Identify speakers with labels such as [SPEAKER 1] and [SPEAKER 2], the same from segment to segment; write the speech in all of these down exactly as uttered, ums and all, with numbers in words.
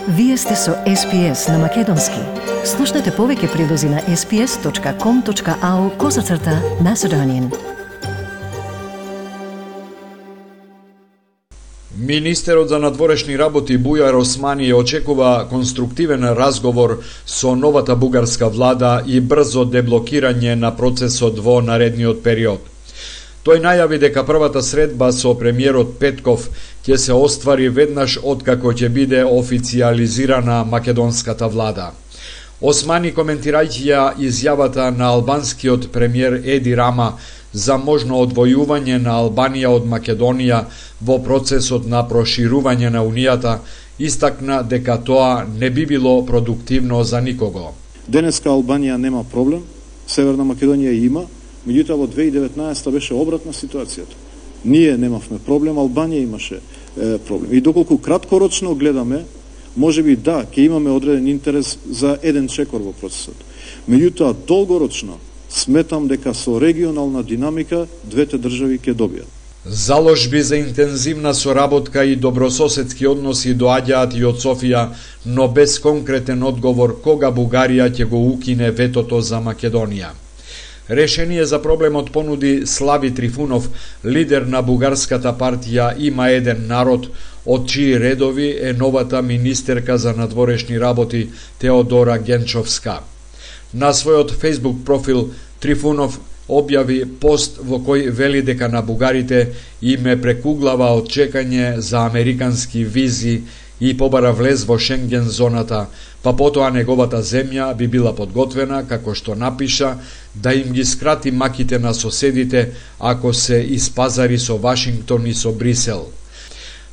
[SPEAKER 1] Вие сте со Ес Пи Ес на Македонски. Слушнете повеќе прилози на ес пи ес точка ком точка ау козацрта Macedonian.
[SPEAKER 2] Министерот за надворешни работи Бујар Османи очекува конструктивен разговор со новата бугарска влада и брзо деблокирање на процесот во наредниот период. Тој најави дека првата средба со премиерот Петков ќе се оствари веднаш откако ќе биде официализирана македонската влада. Османи, коментирајќи ја изјавата на албанскиот премиер Еди Рама за можно одвојување на Албанија од Македонија во процесот на проширување на Унијата, истакна дека тоа не би било продуктивно за никого.
[SPEAKER 3] Денеска Албанија нема проблем, Северна Македонија има, меѓутоа во две илјади и деветнаесета беше обратна ситуацијата. Ние немавме проблем, Албанија имаше е, проблем. И доколку краткорочно гледаме, можеби да, ќе имаме одреден интерес за еден чекор во процесот. Меѓутоа, долгорочно, сметам дека со регионална динамика двете држави ќе добијат.
[SPEAKER 2] Заложби за интензивна соработка и добрососедски односи доаѓаат и од Софија, но без конкретен одговор кога Бугарија ќе го укине ветото за Македонија. Решение за проблемот понуди Слави Трифунов, лидер на бугарската партија Има еден народ, од чии редови е новата министерка за надворешни работи Теодора Генчовска. На својот Facebook профил Трифунов објави пост во кој вели дека на бугарите им е прекуглава од чекање за американски визи и побара влез во Шенген зоната, па потоа неговата земја би била подготвена, како што напиша, да им ги скрати маките на соседите ако се испазари со Вашингтон и со Брисел.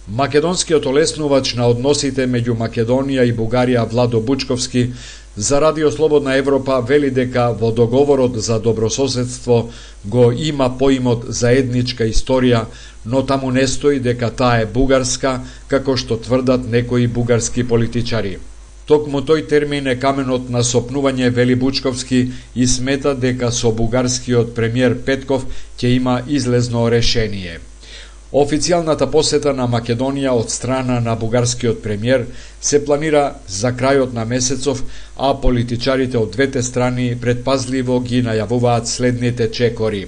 [SPEAKER 2] Македонскиот олеснувач на односите меѓу Македонија и Бугарија Владо Бучковски за Радио Слободна Европа вели дека во договорот за добрососедство го има поимот заедничка историја, но таму не стои дека таа е бугарска, како што тврдат некои бугарски политичари. Токму тој термин е каменот на сопнување, вели Бучковски, и смета дека со бугарскиот премиер Петков ќе има излезно решение. Официјалната посета на Македонија од страна на бугарскиот премиер се планира за крајот на месецов, а политичарите од двете страни предпазливо ги најавуваат следните чекори.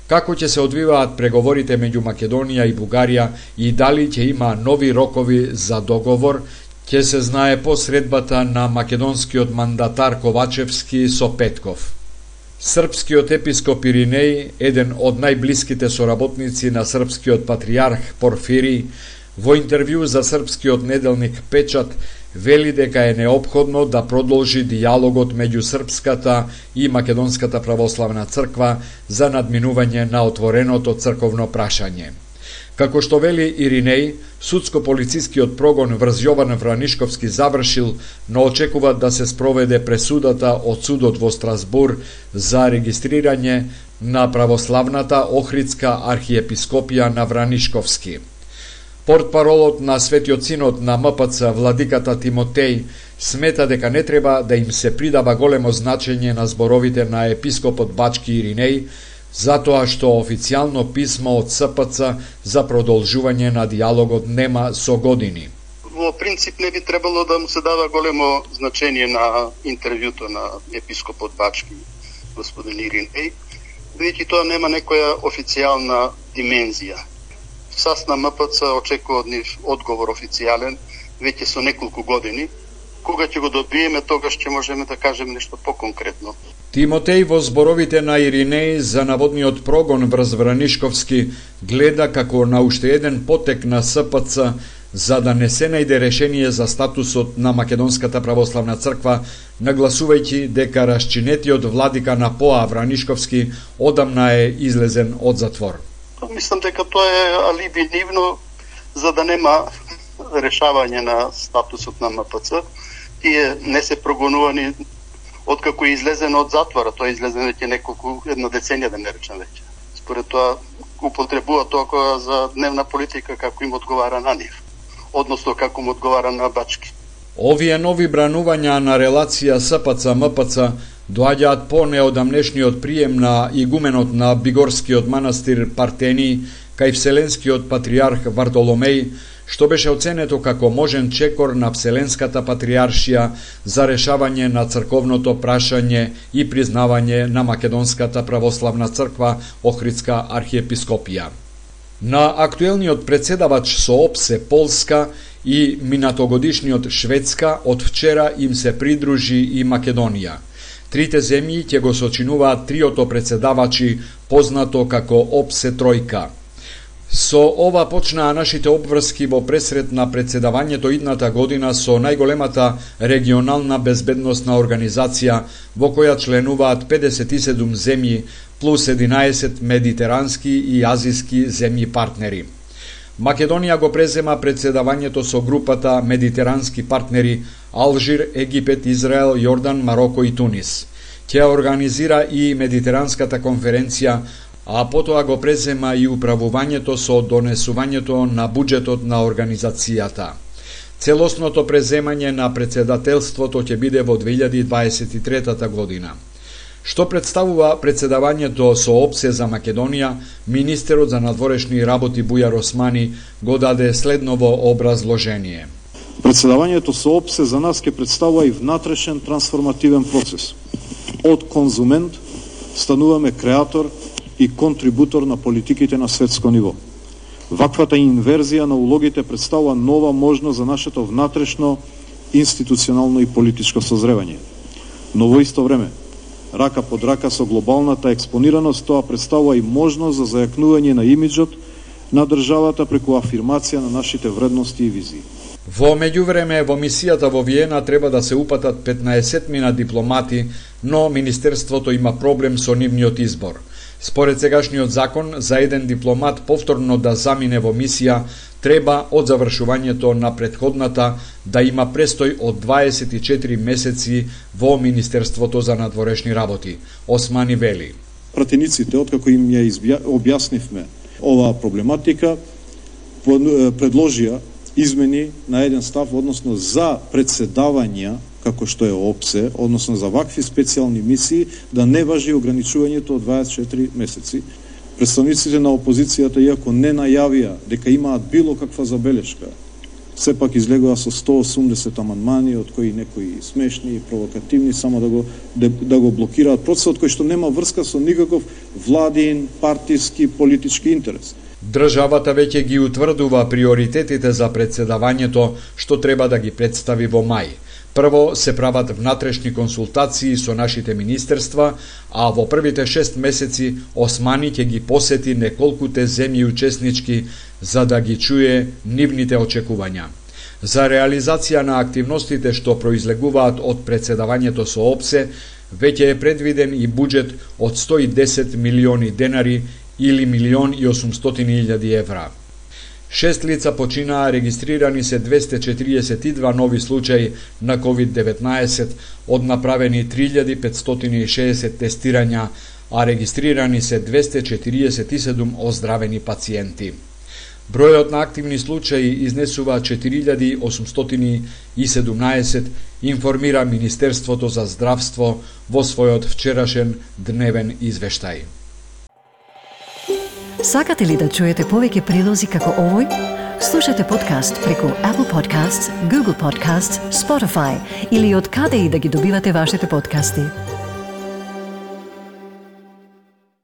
[SPEAKER 2] Како ќе се одвиваат преговорите меѓу Македонија и Бугарија и дали ќе има нови рокови за договор, ќе се знае по средбата на македонскиот мандатар Ковачевски со Петков. Српскиот епископ Иринеј, еден од најблиските соработници на српскиот патријарх Порфирий, во интервју за српскиот неделник Печат, вели дека е неопходно да продолжи дијалогот меѓу српската и македонската православна црква за надминување на отвореното црковно прашање. Како што вели Иринеј, судско-полицискиот прогон врз Јован Вранишковски завршил, но очекува да се спроведе пресудата од судот во Страсбур за регистрирање на православната Охридска архиепископија на Вранишковски. Портпаролот на Светиот Синод на М П Ц владиката Тимотеј смета дека не треба да им се придава големо значење на зборовите на епископот Бачки Иринеј, затоа што официјално писмо од С П Ц за продолжување на дијалогот нема со години.
[SPEAKER 4] Во принцип не би требало да му се дава големо значење на интервјуто на епископот Бачки, господин Иринеј, бидејќи тоа нема некоја официјална димензија. САС на М П Ц очекува од нив одговор официјален веќе со неколку години. Кога ќе го добиеме, тогаш ќе можеме да кажеме нешто поконкретно.
[SPEAKER 2] Тимотеј во зборовите на Иринеј за наводниот прогон врз Вранишковски гледа како на уште еден потек на С П Ц за да не се најде решение за статусот на Македонската православна црква, нагласувајќи дека расчинетиот владика на П О А Вранишковски одамна е излезен од затвор.
[SPEAKER 4] Мислам дека тоа е алиби нивно за да нема решавање на статусот на М П Ц. Тие не се прогонувани откако е излезен од затвора. Тоа е излезен веќе неколку, една деценија да не речем веќе. Според тоа употребува тоа за дневна политика како им одговара на нив, односно како му одговара на Бачки.
[SPEAKER 2] Овие нови бранувања на релација С П Ц М П Ц доаѓаат по неодамнешниот прием на игуменот на Бигорскиот манастир Партени кај Вселенскиот патриарх Вартоломеј, што беше оценето како можен чекор на Вселенската патриаршија за решавање на црковното прашање и признавање на Македонската православна црква Охридска архиепископија. На актуелниот председавач со ОПСЕ Полска и минатогодишниот Шведска од вчера им се придружи и Македонија. Трите земји ќе го сочинуваат триото председавачи, познато како ОПСЕ Тројка. Со ова почнаа нашите обврски во пресрет на председавањето идната година со најголемата регионална безбедносна организација во која членуваат педесет и седум земји плюс единаесет медитерански и азиски земји партнери. Македонија го презема председавањето со групата медитерански партнери Алжир, Египет, Израел, Јордан, Мароко и Тунис. Ќе организира и Медитеранската конференција, а потоа го презема и управувањето со донесувањето на буџетот на организацијата. Целосното преземање на председателството ќе биде во две илјади дваесет и трета година. Што представува председавањето со ОПСЕ за Македонија, министерот за надворешни работи Бујар Османи го даде следново образложение.
[SPEAKER 3] Председавањето со ОПСЕ за нас ќе представува и внатрешен трансформативен процес. Од конзумент стануваме креатор и контрибутор на политиките на светско ниво. Ваквата инверзија на улогите представува нова можност за нашето внатрешно, институционално и политичко созревање. Но во исто време, рака под рака со глобалната експонираност, тоа представува и можност за зајакнување на имиджот на државата преку афирмација на нашите вредности и визии.
[SPEAKER 2] Во меѓувреме, во мисијата во Виена треба да се упатат петнаесет мина дипломати, но Министерството има проблем со нивниот избор. Според сегашниот закон, за еден дипломат повторно да замине во мисија, треба од завршувањето на претходната да има престој од дваесет и четири месеци во Министерството за надворешни работи. Османи вели.
[SPEAKER 3] Пратениците, откако им ја избја... објаснивме оваа проблематика, предложија измени на еден став, односно за председавања, како што е ОПСЕ, односно за вакви специјални мисии, да не важи ограничувањето од дваесет и четири месеци. Представниците на опозицијата, иако не најавија дека имаат било каква забелешка, сепак излегува со сто и осумдесет амандмани, од кои некои смешни и провокативни, само да го, да, да го блокираат процесот, кој што нема врска со никаков владин, партиски, политички интерес.
[SPEAKER 2] Државата веќе ги утврдува приоритетите за председавањето, што треба да ги представи во мај. Прво се прават внатрешни консултации со нашите министерства, а во првите шест месеци Османи ќе ги посети неколкуте земји учеснички за да ги чуе нивните очекувања. За реализација на активностите што произлегуваат од председавањето со ОПСЕ, веќе е предвиден и буџет од сто и десет милиони денари или милион и осумстотини илјади евра. Шест лица починаа, регистрирани се двесте четириесет и два нови случаи на ковид деветнаесет, од направени три илјади петстотини и шеесет тестирања, а регистрирани се двесте четириесет и седум оздравени пациенти. Бројот на активни случаи изнесува четири илјади осумстотини и седумнаесет, информира Министерството за здравство во својот вчерашен дневен извештај.
[SPEAKER 1] Сакате ли да чуете повеќе прилози како овој? Слушате подкаст преку Apple Podcasts, Google Podcasts, Spotify или од каде и да ги добивате вашите подкасти.